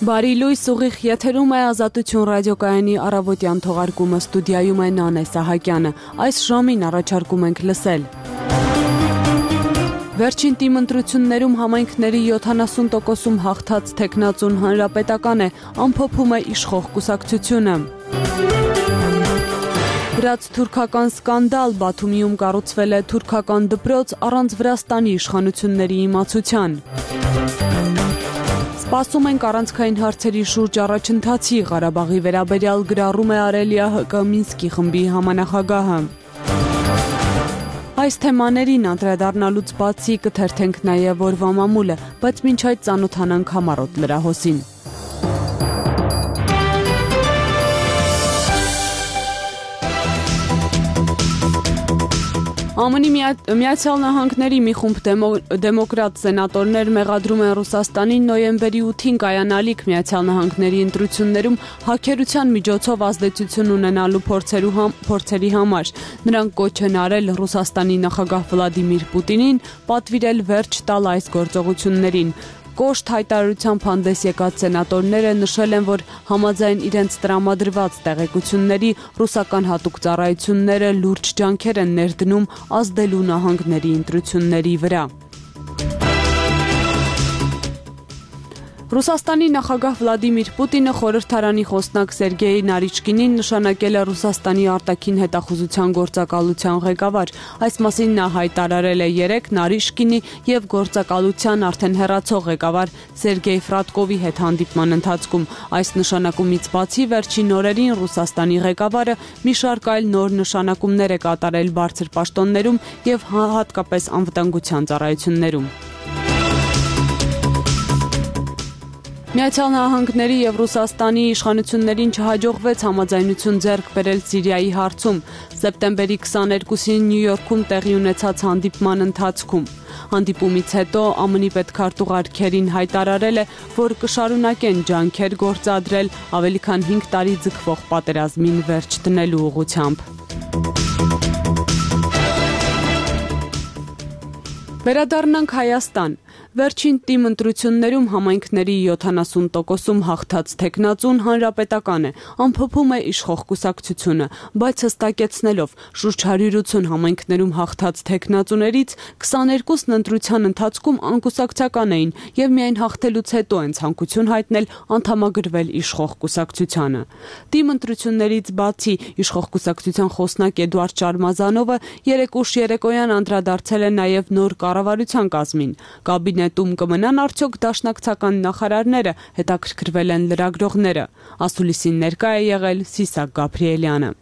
Բարի լույս, ուղիղ եթերում է Ազատություն ռադիոկայանի առավոտյան թողարկումը, ստուդիայում է Նանե Սահակյանը։ Այս ժամին առաջարկում ենք լսել. Վերջին տիմընտրություններում համայնքների 70%-ում հաղթած թեկնածուն Հանրապետական է, ամփոփում է իշխող կուսակցությունը։ Վրաց-թուրքական սկանդալ, Բաթումիում կառուցվել է թուրքական դպրոց առանց Վրաստանի իշխանությունների իմացության։ Սպասում ենք առանցքային հարցերի շուրջ առաջընթացի, Ղարաբաղի վերաբերյալ գրառում է արել ՀԿ Մինսկի խմբի համանախագահը։ Այս թեմաներին անդրադառնալուց բացի կթերթենք նաև օրվա մամուլը, բայց մինչ այդ ծանոթանանք համառոտ լրահոսին։ ԱՄՆ-ի Միացյալ Նահանգների մի խումբ դեմոկրատ սենատորներ մեղադրում են Ռուսաստանին նոյեմբերի 8-ին կայանալիք Միացյալ Նահանգների ընտրություններում հաքերության միջոցով ազդեցություն ունենալու փորձերի համար։ Նրանք կոչ են արել Ռուսաստանի նախագահ Վլադիմիր Պուտինին պատվիրել վերջ տալ այս գործողություններին։ Կոշտ հայտարարությամբ հանդես եկած սենատորները նշել են, որ համաձայն իրենց տրամադրված տեղեկությունների ռուսական հատուկ ծառայությունները լուրջ ջանքեր են ներդնում ազդելու նահանգների ընտրությունների վրա։ Ռուսաստանի նախագահ Վլադիմիր Պուտինը խորհրդարանի խոսնակ Սերգեյ Նարիչկինին նշանակել է Ռուսաստանի արտաքին հետախուզության գործակալության ղեկավար։ Այս մասին նա հայտարարել է երեկ Նարիչկինի եւ գործակալության արդեն հեռացող ղեկավար Սերգեյ Ֆրատկովի հետ հանդիպման ընթացքում։ Այս նշանակումից բացի վերջին օրերին Ռուսաստանի ղեկավարը մի շարք այլ նոր նշանակումներ է կատարել բարձր պաշտոններում եւ հատկապես անվտանգության ծառայություններում։ Միացյալ Նահանգների եւ Ռուսաստանի իշխանություններին չհաջողվեց համաձայնություն ձեռք բերել Սիրիայի հարցում սեպտեմբերի 22-ին Նյու Յորքում տեղի ունեցած հանդիպման ընթացքում։ Հանդիպումից հետո ԱՄՆ-ի պետքարտուղար Քերին հայտարարել է, որ կշարունակեն ջանքեր գործադրել ավելի քան 5 տարի ձգվող պատերազմին վերջ դնելու ուղղությամբ։ Վերադառնանք Հայաստան։ Վերջին տիմընտրություններում համայնքների 70%-ում հաղթած թեկնածուն Հանրապետական է, ամփոփում է իշխող կուսակցությունը, բայց հստակեցնելով շուրջ 180 համայնքներում հաղթած թեկնածուներից 22-ն ընտրության ընթացքում անկուսակցական էին եւ միայն հաղթելուց հետո են ցանկություն հայտնել անդամագրվել իշխող կուսակցությանը։ Տիմընտրություններից բացի իշխող կուսակցության խոսնակ Էդուարդ Շարմազանովը երեկ ուշ երեկոյան անդրադարձել է նաեւ նոր կառավարության կազմին։ Կաբինետում կմնան արդյոք դաշնակցական նախարարները, հետաքրքրվել են լրագրողները։ Ասուլիսին ներկա է եղել Սիսակ Գաբրիելյանը։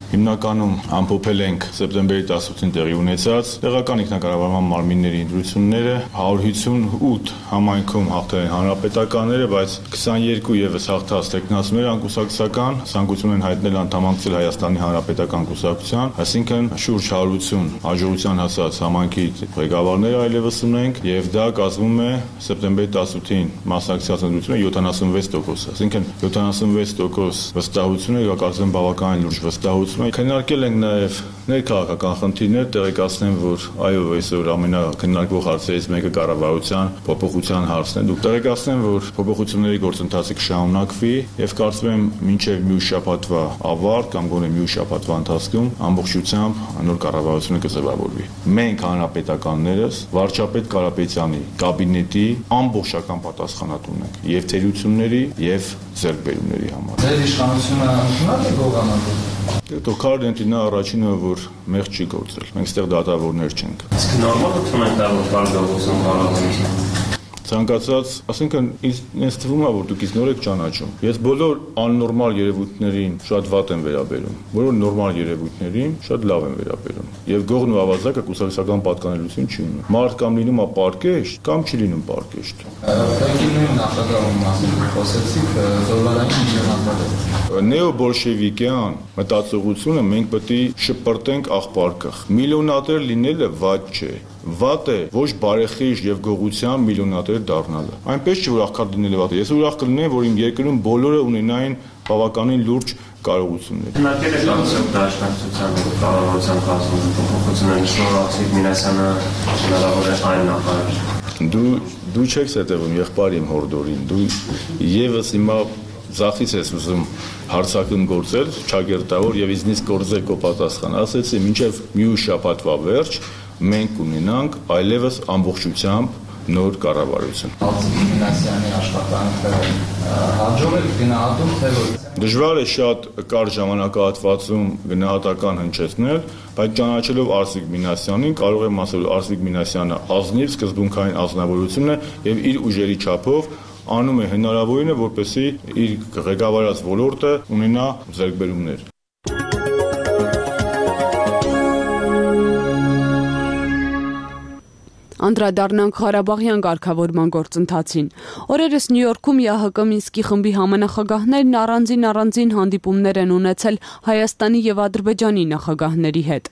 Հիմնականում ամփոփել ենք սեպտեմբերի 18-ին տեղի ունեցած տեղական ինքնակառավարման մարմինների ընտրությունները, 158 համայնքում հաղթել են հանրապետականները, բայց 22 ևս հաղթած տեխնացուները անկուսակցական ցանկություն են հայտնել անդամակցել Հայաստանի Հանրապետական կուսակցության, այսինքն շուրջ 180 հաջողության հասած համայնքի ղեկավարները այլևս ունենք եւ դա կազմում է սեպտեմբերի 18-ին մասնակցած ընտրությունը 76%, այսինքն 76% վստահությունը կարծեմ բավականին լուրջ վստահություն։ Քննարկել ենք նաև ներքաղաքական խնդիրներ, տեղեկացնեմ, որ այո, այսօր ամենակննարկվող հարցերից մեկը կառավարության փոփոխության հարցն է։ Դուք տեղեկացնեմ, որ փոփոխությունների գործընթացը կշարունակվի եւ կարծում եմ մինչեւ մյուս շաբաթվա ավարտ կամ գոնե մյուս շաբաթվա ընթացքում ամբողջությամբ նոր կառավարությունը կձևավորվի։ Մենք հանրապետականներս վարչապետ Կարապետյանի կաբինետի ամբողջական պատասխանատուն ենք եւ թերությունների եւ ձեռքբերումների համար։ Ձեր իշխանությունը ընդունակ է գողանալու։ Քարդենտինը առաջինը որ մեղ չի գործել։ Մենք ստեղ դատավորներ չենք։ Իսկ նորմալ է թվում է որ բարգավաճում հարավանից։ Ցանկացած, ասենքն ինձ թվում է, որ դուք ինձ նոր եք ճանաչում։ Ես բոլոր աննորմալ երևույթներին շատ վատ եմ վերաբերում, բոլոր նորմալ երևույթներին շատ լավ եմ վերաբերում։ Եվ գողն ու ավազակը կուսակցական պատկանելություն չի ունում։ Մարդ կամ լինում է պարկեշտ, կամ չի լինում պարկեշտ։ Ռեգիմի նախագահում մասին խոսեցիք, դոլարային միլիոնավոր։ Նեոբոլշևիկյան մտածողությունը մենք պետք է շպրտենք աղբարկղ։ Միլիոնատեր լինելը վատ չէ։ Վատ է ոչ բարեխիղճ եւ գողության միլիոնատեր դառնալը։ Այնպես չէ որ աղքատ լինելը վատ է։ Ես ուրախ կլինեի, որ իմ երկրում բոլորը ունենային բավականին լուրջ կարողություններ։ Քննարկել եք անցյալ դաշնակցության կառավարության կազմում փոփոխությունների շնորհիվ Մինասյանը հնարավոր է այն նախարար։ Դու չես հետևում եղբայր իմ հորդորին, դու եւս հիմա Զախից ես ուզում հարցակում գործել, չագերտավոր եւ իզնից գործել կո պատասխան։ Ասեցի, մինչեւ մյուս շաբաթվա վերջ մենք ունենանք այլևս ամբողջությամբ նոր կառավարություն։ Մինասյանի աշխատանքը հաջողել գնահատում թե ոչ։ Դժվար է շատ կարճ ժամանակահատվածում գնահատական հնչեցնել, բայց ճանաչելով Արսիկ Մինասյանին կարող եմ ասել, որ Արսիկ Մինասյանը ազնիվ սկզբունքային անձնավորություն է եւ իր ուժերի չափով անում է հնարավորինը, որպեսզի իր ղեկավարած ոլորտը ունենա ձեռքբերումներ։ Անդրադառնանք Ղարաբաղյան կարգավորման գործընթացին։ Օրերս Նյու Յորքում ՀՀԿ Մինսկի խմբի համանախագահներն առանձին հանդիպումներ են ունեցել Հայաստանի եւ Ադրբեջանի նախագահների հետ։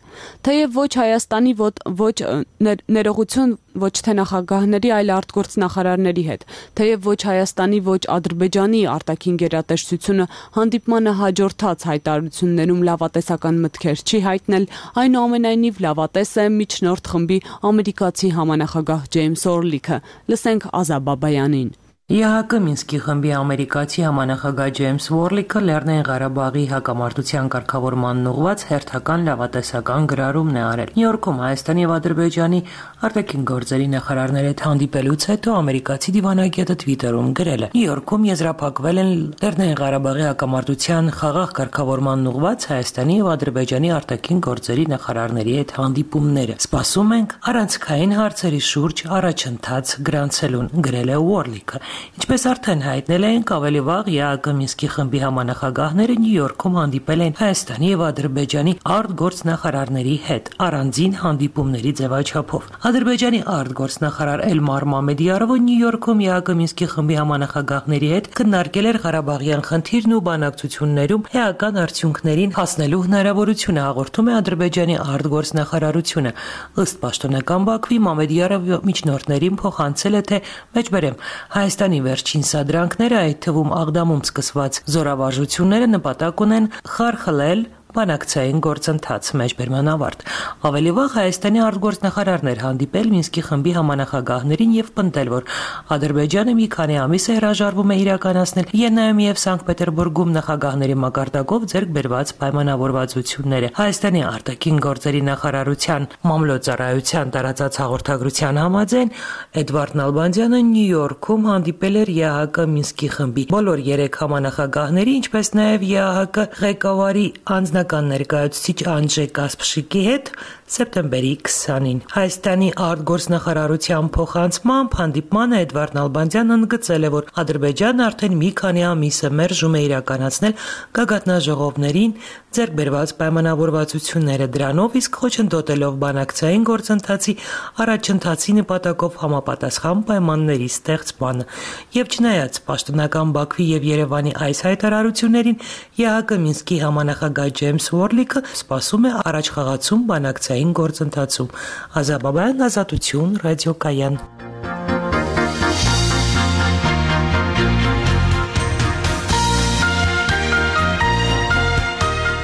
Թեև ոչ Հայաստանի, ոչ ներողություն ոչ թե նախագահների, այլ արտգործնախարարների հետ։ Թեև ոչ Հայաստանի, ոչ Ադրբեջանի արտաքին գերատեսչությունը հանդիպմանը հաջորդած հայտարարություններում լավատեսական մտքեր չի հայտնել, այնուամենայնիվ լավատես է միջնորդ խմբի ամերիկացի համանախագահ Ջեյմս Օրլիքը։ Լսենք Ազա Բաբայանին։ ՀՀԿ Մինսկի խմբի ամերիկացի համանախագահ Ջեյմս Օրլիքը Լեռնային Ղարաբաղի հակամարտության կարգավորմանն ուղղված հերթական լավատեսական գրառումն է արել։ Նյու Յորքում Հայաստանի եւ Ադրբեջանի արտաքին գործերի նախարարների հետ հանդիպելուց հետո ամերիկացի դիվանագետը Twitter-ում գրել է. Նյու Յորքում եզրափակվել են Լեռնային Ղարաբաղի հակամարտության խաղաղ կարգավորմանն ուղղված Հայաստանի եւ Ադրբեջանի արտաքին գործերի նախարարների հետ հանդիպումները։ Սպասում ենք առանցքային հարցերի շուրջ առաջընթաց գրանցելուն, գրել է Օրլիքը։ Ինչպես արդեն հայտնել ենք, ավելի վաղ ՀՀԿ Մինսկի խմբի համանախագահները Նյու Յորքում հանդիպել են Հայաստանի եւ Ադրբեջանի արտգործնախարարների հետ առանձին հանդիպումների ձևաչափով։ Ադրբեջանի արտգործնախարար Էլմար Մամեդիարովը Նյու Յորքում ՀՀԿ Մինսկի խմբի համանախագահների հետ քննարկել էր Ղարաբաղյան խնդիրն ու բանակցություններում էական արդյունքներին հասնելու հնարավորությունը, հաղորդում է Ադրբեջանի արտգործնախարարությունը։ Ըստ պաշտոնական Բաքվի Մամեդիարովը միջնորդներին փոխանցել է, թե մեջբերեմ Հայաստանի վերջին սադրանքները, այդ թվում Աղդամում սկսված զորավարժությունները նպատակ ունեն խարխլել բանակցային գործընթաց մեջբերման ավարտ։ Ավելի վաղ Հայաստանի արտգործնախարարն էր հանդիպել Մինսկի խմբի համանախագահներին եւ պնդել, որ Ադրբեջանը մի քանի ամիս է հրաժարվում է իրականացնել Վիեննայում եւ Սանկտ Պետերբուրգում նախագահների մակարդակով ձեռք բերված պայմանավորվածությունները։ Հայաստանի արտաքին գործերի նախարարության մամլոյցարայության տարածած հաղորդագրության համաձայն Էդվարդ Նալբանդյանը Նյու Յորքում հանդիպել էր ՀՀԿ Մինսկի խմբի բոլոր 3 համանախագահների, ինչպես նաեւ ՀՀԿ ղեկավարի անձնական ներկայացուցիչ Անջե Կասպշիկի հետ սեպտեմբերի 20-ին։ Հայաստանի արտգործնախարարության փոխանցմամբ հանդիպմանը Էդվարդ Նալբանդյանն ընդգծել է, որ Ադրբեջանն արդեն մի քանի ամիս է մերժում է իրականացնել գագաթնաժողովներին ձեռք բերված պայմանավորվածությունները, դրանով իսկ խոչընդոտելով բանակցային գործընթացի առաջընթացի նպատակով համապատասխան պայմանների ստեղծմանը։ Եվ չնայած պաշտոնական Բաքվի եւ Երևանի այս հայտարարություններին, ՀՀԿ Մինսկի համանախագահ Ջեյմս Օրլիքը սպասում է առաջխաղացում բանակցային գործընթացում։ Ազա Բաբայան, Ազատություն, ռադիոկայան։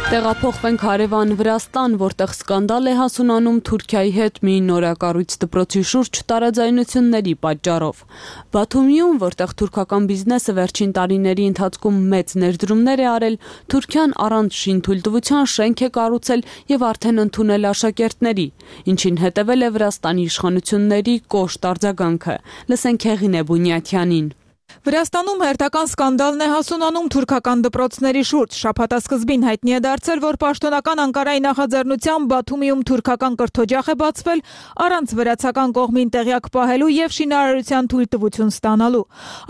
Տեղափոխվենք հարևան Վրաստան, որտեղ սկանդալ է հասունանում Թուրքիայի հետ մի նորակառույց դպրոցի շուրջ տարաձայնությունների պատճառով։ Բաթումիում, որտեղ թուրքական բիզնեսը վերջին տարիների ընթացքում մեծ ներդրումներ է արել, Թուրքիան առանց շինթույլտվության շենք է կառուցել եւ արդեն ընդունել աշակերտների, ինչին հետևել է Վրաստանի իշխանությունների կոշտ արձագանքը։ Լսենք Հեղինե Բունյաթյանին։ Վրաստանում հերթական սկանդալն է հասունանում թուրքական դպրոցների շուրջ։ Շաբաթասկզբին հայտնի է դարձել, որ պաշտոնական Անկարայի նախաձեռնությամբ Բաթումիում թուրքական կրթօջախ է բացվել առանց վրացական կողմին տեղյակ պահելու եւ շինարարության թույլտվություն ստանալու։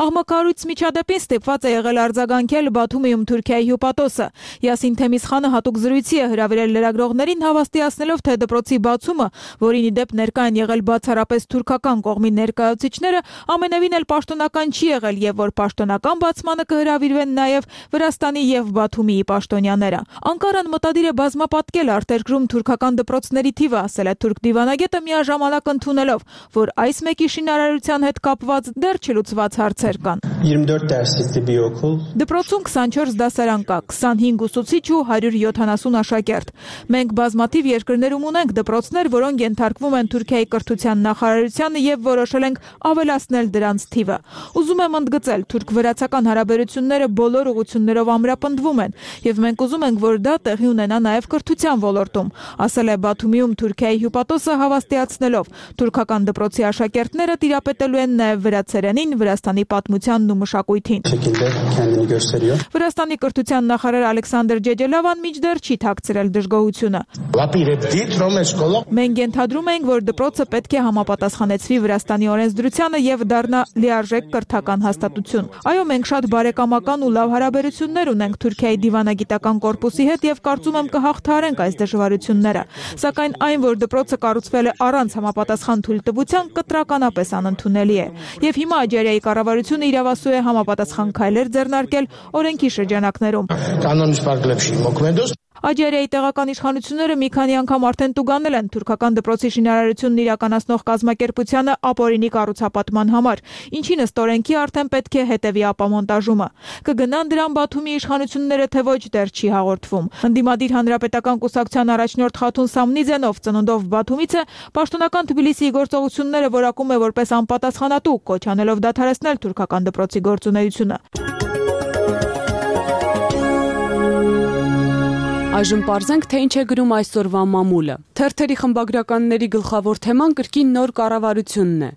Աղմկարույց միջադեպին ստիպված է եղել արձագանքել Բաթումիում Թուրքիայի հյուպատոսը։ Յասին Թեմիսխանը հատուկ զրույցի է հրավիրել լրագրողներին, հավաստիացնելով, թե դպրոցի բացումը, որին ի դեպ ներկա են եղել բացառապես թուրքական կողմի ներկայացուցիչները, ամենևին էլ պաշտոնական չի եղել եղել եւ որ պաշտոնական բացմանը կհրավիրվեն նաեւ Վրաստանի եւ Բաթումիի պաշտոնյաները։ Անկարան մտադիր է բազմապատկել արտերկրում թուրքական դպրոցների թիվը, ասել է թուրք դիվանագետը միաժամանակ ընդունելով, որ այս մեկի շինարարության հետ կապված դեռ չլուծված հարցեր կան։ 24 դասիստի բիոքուլ Դպրոցում 24 դասարան կա, 25 ուսուցիչ ու 170 աշակերտ։ Մենք բազմաթիվ երկրներում ունենք դպրոցներ, որոնք ենթարկվում են Թուրքիայի կրթության նախարարությանը եւ որոշել ենք ավելացնել դրանց թիվը։ Ուզում եմ ընդգծել, թուրք-վրացական հարաբերությունները բոլոր ուղղություններով ամրապնդվում են եւ մենք ուզում ենք, որ դա տեղի ունենա նաեւ կրթության ոլորտում, ասել է Բաթումիում Թուրքիայի հյուպատոսը հավաստիացնելով։ Թուրքական դպրոցի աշակերտները տիրապետելու են նաեւ վրացերենին, Վրաստանի պատմությանն ու մշակույթին։ Վրաստանի կրթության նախարար Ալեքսանդր Ջեջելավան մինչդեռ չի թաքցրել դժգոհությունը։ Մենք ենթադրում ենք, որ դպրոցը պետք է համապատասխանեցվի Վրաստանի օրենսդրությանը եւ դառնա լիարժեք կրթական հաստատություն։ Այո, մենք շատ բարեկամական ու լավ հարաբերություններ ունենք Թուրքիայի դիվանագիտական կորպուսի հետ եւ կարծում եմ կհաղթահարենք այս դժվարությունները։ Սակայն այն, որ դպրոցը կառուցվել է առանց համապատասխան թույլտվության, կտրականապես անընդունելի է։ Եվ հիմա Աջարիայի կառավարությունը իրավասու է համապատասխան քայլեր ձեռնարկել օրենքի շրջանակներում։ Աջարիայի տեղական իշխանությունները մի քանի անգամ արդեն տուգանել են թուրքական դպրոցի շինարարությունն իրականացնող կազմակերպությանը ապօրինի կառուցապատման համար, ինչին ըստ օրենքի արդեն պետք է հետևի ապամոնտաժումը։ Կգնան դրան Բաթումի իշխանությունները, թե ոչ, դեռ չի հաղորդվում։ Ընդդիմադիր հանրապետական կուսակցության առաջնորդ Խաթուն Սամնիձենով ծնունդով Բաթումից է, պաշտոնական Թբիլիսիի գործողությունները որակում է որպես անպատասխանատու, կոչ անելով դադարեցնել թուրքական դպրոցի գործունեությունը։ Այժմ պարզենք, թե ինչ է գրում այսօրվա մամուլը։ Թերթերի խմբագրականների գլխավոր թեման կրկին նոր կառավարությունն է։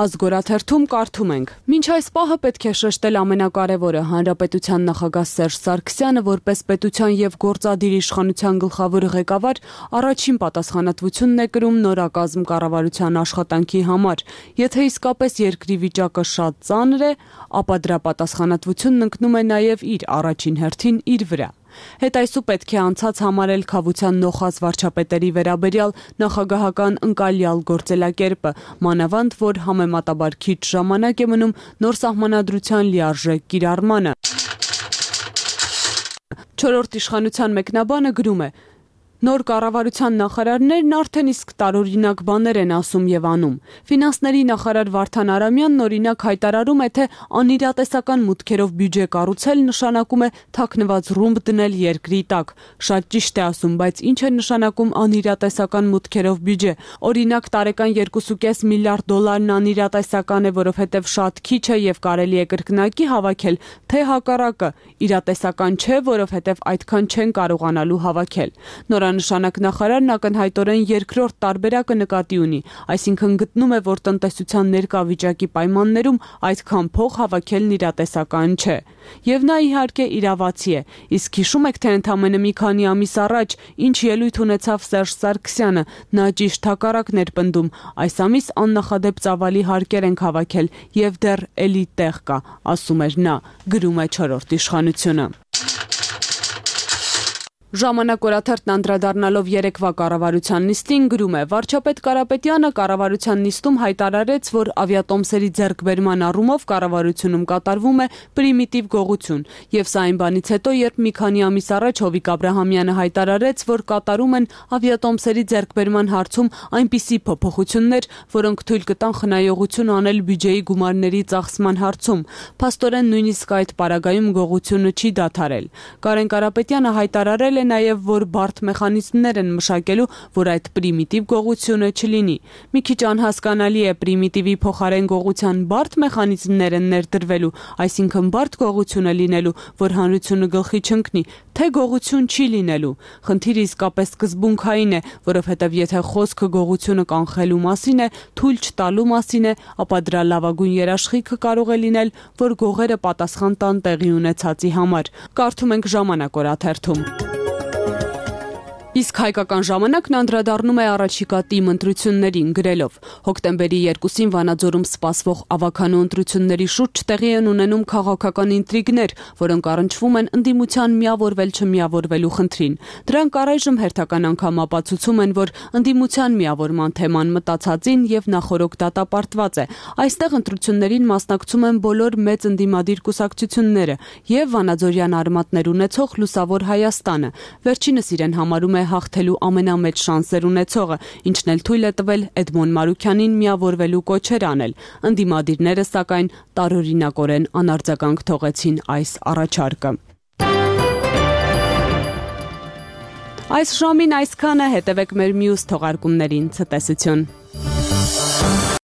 Ազգորաթերթում կարդում ենք. Մինչ այս պահը պետք է շեշտել ամենակարևորը, հանրապետության նախագահ Սերժ Սարգսյանը որպես պետության եւ գործադիր իշխանության գլխավոր ղեկավար առաջին պատասխանատվությունն է կրում նորակազմ կառավարության աշխատանքի համար։ Եթե իսկապես երկրի վիճակը շատ ծանր է, ապա դրա պատասխանատվությունն ընկնում է նաեւ իր առաջին հերթին իր վրա։ Հետայսու պետք է անցած համարել քավության նոխած վարչապետերի վերաբերյալ նախագահական ընկալյալ գործելակերպը, մանավանդ որ համեմատաբար քիչ ժամանակ է մնում նոր սահմանադրության լիարժեք կիրառմանը։ Չորրորդ իշխանության մեկնաբանը գրում է. Նոր կառավարության նախարարներն արդեն իսկ տարօրինակ բաներ են ասում եւ անում։ Ֆինանսների նախարար Վարդան Արամյանն օրինակ հայտարարում է, թե անիրատեսական մուտքերով բյուջե կառուցել նշանակում է թաքնված ռումբ դնել երկրի տակ։ Շատ ճիշտ է ասում, բայց ինչ է նշանակում անիրատեսական մուտքերով բյուջե։ Օրինակ տարեկան 2.5 միլիարդ դոլարն անիրատեսական է, որովհետեւ շատ քիչ է եւ կարելի է կրկնակի հավաքել, թե հակառակը իրատեսական չէ, որովհետեւ այդքան չեն կարողանալու հավաքել։ Նորանշանակ նախարարն ակնհայտորեն երկրորդ տարբերակը նկատի ունի, այսինքն գտնում է, որ տնտեսության ներկա վիճակի պայմաններում այդքան փող հավաքելն իրատեսական չէ։ Եվ նա իհարկե իրավացի է, իսկ հիշում եք, թե ընդամենը մի քանի ամիս առաջ ինչ ելույթ ունեցավ Սերժ Սարգսյանը, նա ճիշտ հակառակն էր պնդում, այս ամիս աննախադեպ ծավալի հարկեր ենք հավաքել եւ դեռ էլի տեղ կա, ասում էր նա, գրում է չորրորդ իշխանությունը։ Ժամանակ օրաթերթն անդրադառնալով երեկվա կառավարության նիստին գրում է. Վարչապետ Կարապետյանը կառավարության նիստում հայտարարեց, որ ավիատոմսերի ձեռքբերման առումով կառավարությունում կատարվում է պրիմիտիվ գողություն, եւ սա այն բանից հետո, երբ մի քանի ամիս առաջ Հովիկ Աբրահամյանը հայտարարեց, որ կատարում են ավիատոմսերի ձեռքբերման հարցում այնպիսի փոփոխություններ, որոնք թույլ կտան խնայողություն անել բյուջեի գումարների ծախսման հարցում։ Փաստորեն նույնիսկ այդ պարագայում գողությունը չի դադարել։ Կարեն Կարապետյանը հայտարարել է նաև, որ բարդ մեխանիզմներ են մշակելու, որ այդ պրիմիտիվ գողությունը չլինի։ Մի քիչ անհասկանալի է պրիմիտիվի փոխարեն գողության բարդ մեխանիզմներ են ներդրվելու, այսինքն բարդ գողությունը լինելու, որ հանրությունը գլխի չընկնի, թե գողություն չի լինելու։ Խնդիրը իսկապես սկզբունքային է, որովհետև եթե խոսքը գողությունը կանխելու մասին է, թույլ չտալու մասին է, ապա դրա լավագույն երաշխիքը կարող է լինել, որ գողերը պատասխան տան տեղի ունեցածի համար։ Կարդում ենք Ժամանակ օրաթերթում։ Իսկ հայկական ժամանակն անդրադառնում է առաջիկա ՏԻՄ ընտրություններին գրելով. հոկտեմբերի 2-ին Վանաձորում սպասվող ավականու ընտրությունների շուրջ տեղի են ունենում քաղաքական ինտրիգներ, որոնք առնչվում են ընդդիմության միավորվել-չմիավորվելու խնդրին։ Դրանք առայժմ հերթական անգամ ապացուցում են, որ ընդդիմության միավորման թեման մտածածին եւ նախորոք դատապարտված է։ Այստեղ ընտրություններին մասնակցում են բոլոր մեծ ընդդիմադիր կուսակցությունները եւ վանաձորյան արմատներ ունեցող Լուսավոր Հայաստանը։ Վերջինս իրեն համարում է հաղթելու ամենամեծ շանսեր ունեցողը, ինչն էլ թույլ է տվել Էդմոն Մարուքյանին միավորվելու կոչեր անել։ Ընդդիմադիրները, սակայն, տարօրինակորեն անարձագանք թողեցին այս առաջարկը։ Այս ժամին այսքանը, հետևեք մեր մյուս թողարկումներին, ցտեսություն։